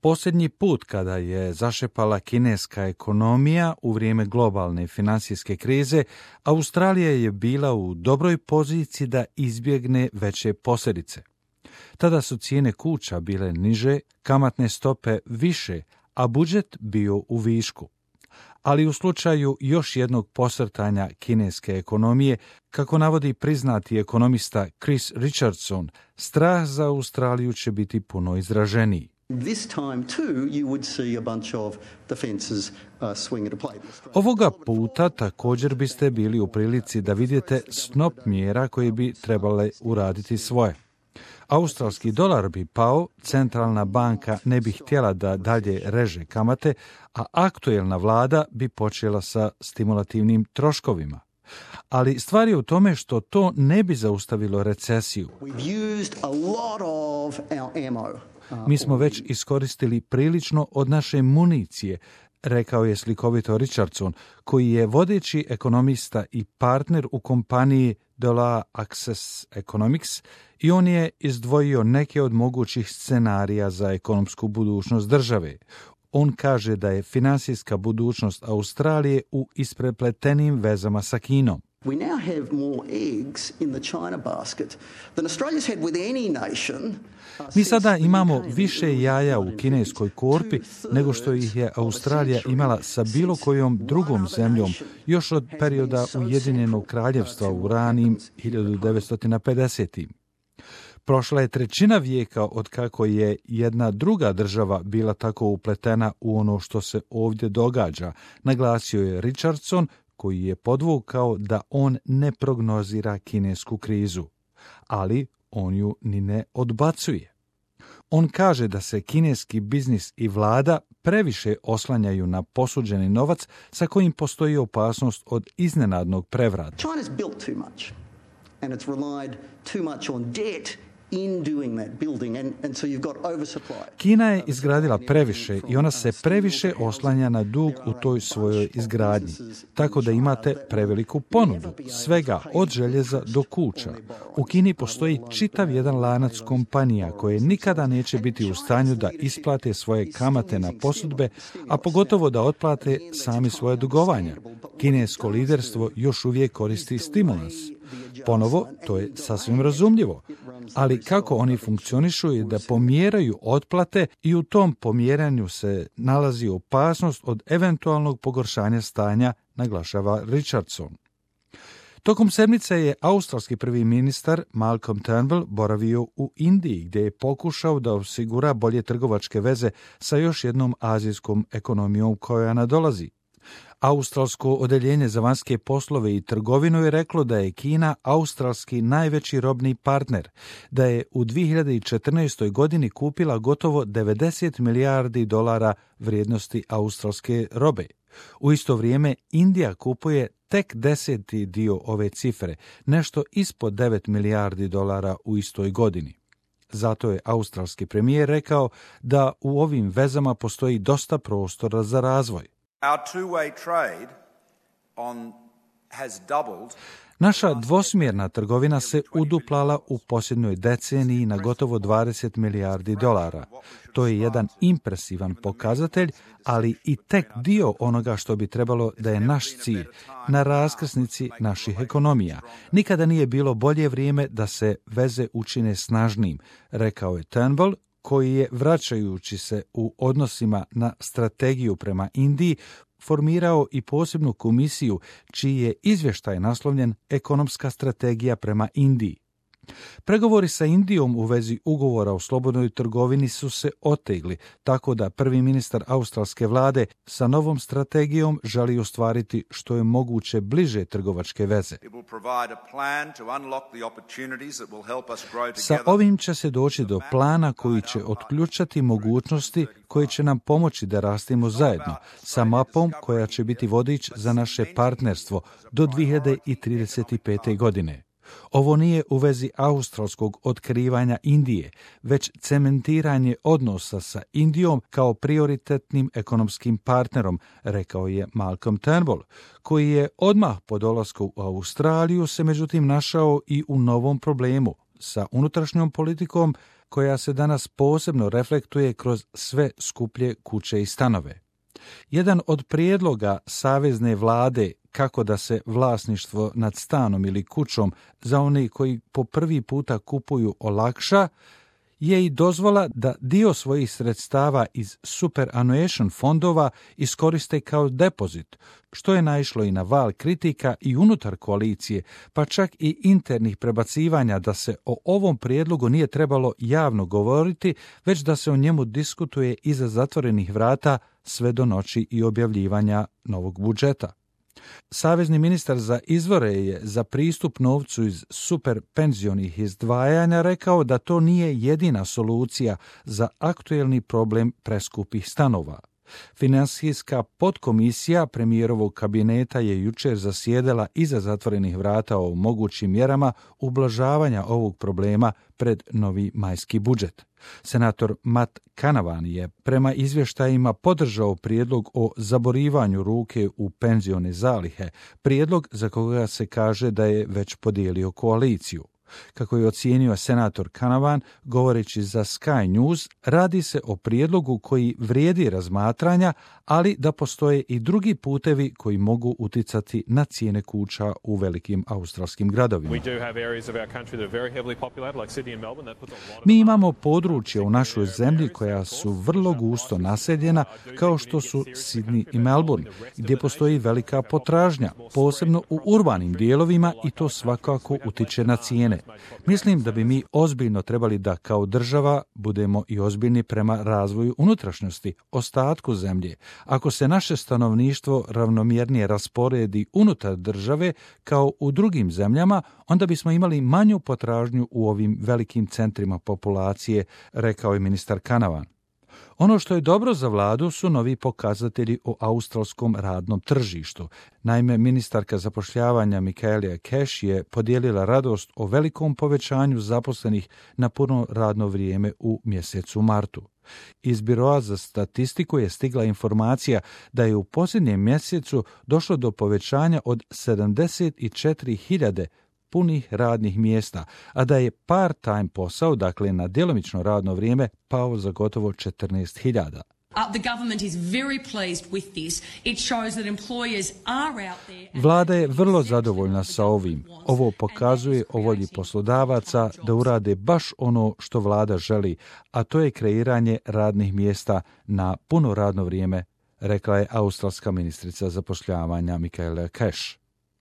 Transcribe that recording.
Posljednji put kada je zašepala kineska ekonomija u vrijeme globalne financijske krize, Australija je bila u dobroj poziciji da izbjegne veće posljedice. Tada su cijene kuća bile niže, kamatne stope više, a budžet bio u višku. Ali u slučaju još jednog posrtanja kineske ekonomije, kako navodi priznati ekonomista Chris Richardson, strah za Australiju će biti puno izraženiji. Ovoga puta također biste bili u prilici da vidite snop mjera koje bi trebale uraditi svoje. Australski dolar bi pao, centralna banka ne bi htjela da dalje reže kamate, a aktuelna vlada bi počela sa stimulativnim troškovima. Ali stvar je u tome što to ne bi zaustavilo recesiju. Mi smo već iskoristili prilično od naše municije, rekao je slikovito Richardson, koji je vodeći ekonomista i partner u kompaniji Dollar Access Economics, i on je izdvojio neke od mogućih scenarija za ekonomsku budućnost države. On kaže da je financijska budućnost Australije u isprepletenim vezama sa Kinom. We now have more eggs in the China basket than Australia's had with any nation. Mi sada imamo više jaja u kineskoj korpi nego što ih je Australija imala sa bilo kojom drugom zemljom još od perioda Ujedinjenog kraljevstva u ranim 1950. Prošla je trećina vijeka od kako je jedna druga država bila tako upletena u ono što se ovdje događa, naglasio je Richardson, koji je podvukao da on ne prognozira kinesku krizu, ali on ju ni ne odbacuje. On kaže da se kineski biznis i vlada previše oslanjaju na posuđeni novac sa kojim postoji opasnost od iznenadnog prevrata. China's built too much and it's relied too much on debt in doing that building and so you've got oversupply. Kina je izgradila previše i ona se previše oslanja na dug u toj svojoj izgradnji, tako da imate preveliku ponudu, svega od željeza do kuća. U Kini postoji čitav jedan lanac kompanija koje nikada neće biti u stanju da isplate svoje kamate na posudbe, a pogotovo da otplate sami svoje dugovanja. Kinesko liderstvo još uvijek koristi stimulans. Ponovo, to je sasvim razumljivo, ali kako oni funkcionišu je da pomjeraju otplate i u tom pomjeranju se nalazi opasnost od eventualnog pogoršanja stanja, naglašava Richardson. Tokom sedmice je australski prvi ministar Malcolm Turnbull boravio u Indiji, gdje je pokušao da osigura bolje trgovačke veze sa još jednom azijskom ekonomijom koja nadolazi. Australsko odeljenje za vanjske poslove i trgovinu je reklo da je Kina australski najveći robni partner, da je u 2014. godini kupila gotovo 90 milijardi dolara vrijednosti australske robe. U isto vrijeme Indija kupuje tek 10. dio ove cifre, nešto ispod 9 milijardi dolara u istoj godini. Zato je australski premijer rekao da u ovim vezama postoji dosta prostora za razvoj. Our two-way trade has doubled. Naša dvosmjerna trgovina se uduplala u posljednjoj deceniji na gotovo 20 milijardi dolara. To je jedan impresivan pokazatelj, ali i tek dio onoga što bi trebalo da je naš cilj, na raskrsnici naših ekonomija. Nikada nije bilo bolje vrijeme da se veze učine snažnijim, rekao je Turnbull, koji je, vraćajući se u odnosima na strategiju prema Indiji, formirao i posebnu komisiju čiji je izvještaj naslovljen Ekonomska strategija prema Indiji. Pregovori sa Indijom u vezi ugovora o slobodnoj trgovini su se otegli, tako da prvi ministar australske vlade sa novom strategijom želi ostvariti što je moguće bliže trgovačke veze. Sa ovim će se doći do plana koji će otključati mogućnosti koje će nam pomoći da rastemo zajedno, sa mapom koja će biti vodič za naše partnerstvo do 2035. godine. Ovo nije u vezi australskog otkrivanja Indije, već cementiranje odnosa sa Indijom kao prioritetnim ekonomskim partnerom, rekao je Malcolm Turnbull, koji je odmah po dolasku u Australiju se međutim našao i u novom problemu, sa unutrašnjom politikom koja se danas posebno reflektuje kroz sve skuplje kuće i stanove. Jedan od prijedloga savezne vlade kako da se vlasništvo nad stanom ili kućom za one koji po prvi puta kupuju olakša je i dozvola da dio svojih sredstava iz superannuation fondova iskoriste kao depozit, što je naišlo i na val kritika i unutar koalicije, pa čak i internih prebacivanja da se o ovom prijedlogu nije trebalo javno govoriti, već da se o njemu diskutuje iza zatvorenih vrata sve do noći i objavljivanja novog budžeta. Savezni ministar za izvore je za pristup novcu iz superpenzionih izdvajanja rekao da to nije jedina solucija za aktuelni problem preskupih stanova. Finansijska podkomisija premijerovog kabineta je jučer zasjedala iza zatvorenih vrata o mogućim mjerama ublažavanja ovog problema pred novi majski budžet. Senator Matt Canavan je prema izvještajima podržao prijedlog o zaborivanju ruke u penzione zalihe, prijedlog za koga se kaže da je već podijelio koaliciju. Kako je ocijenio senator Canavan, govoreći za Sky News, radi se o prijedlogu koji vrijedi razmatranja, ali da postoje i drugi putevi koji mogu uticati na cijene kuća u velikim australskim gradovima. Mi imamo područja u našoj zemlji koja su vrlo gusto naseljena, kao što su Sydney i Melbourne, gdje postoji velika potražnja, posebno u urbanim dijelovima, i to svakako utiče na cijene. Mislim da bi mi ozbiljno trebali da kao država budemo i ozbiljni prema razvoju unutrašnjosti, ostatku zemlje. Ako se naše stanovništvo ravnomjernije rasporedi unutar države kao u drugim zemljama, onda bismo imali manju potražnju u ovim velikim centrima populacije, rekao je ministar Canavan. Ono što je dobro za vladu su novi pokazatelji o australskom radnom tržištu. Naime, ministarka zapošljavanja Michaelia Cash je podijelila radost o velikom povećanju zaposlenih na puno radno vrijeme u mjesecu martu. Iz Biroa za statistiku je stigla informacija da je u posljednjem mjesecu došlo do povećanja od 74.000 punih radnih mjesta, a da je part-time posao, dakle na djelomično radno vrijeme, pao za gotovo 14.000. Vlada je vrlo zadovoljna sa ovim. Ovo pokazuje o volji poslodavaca da urade baš ono što vlada želi, a to je kreiranje radnih mjesta na puno radno vrijeme, rekla je australska ministrica zapošljavanja Michaelia Cash.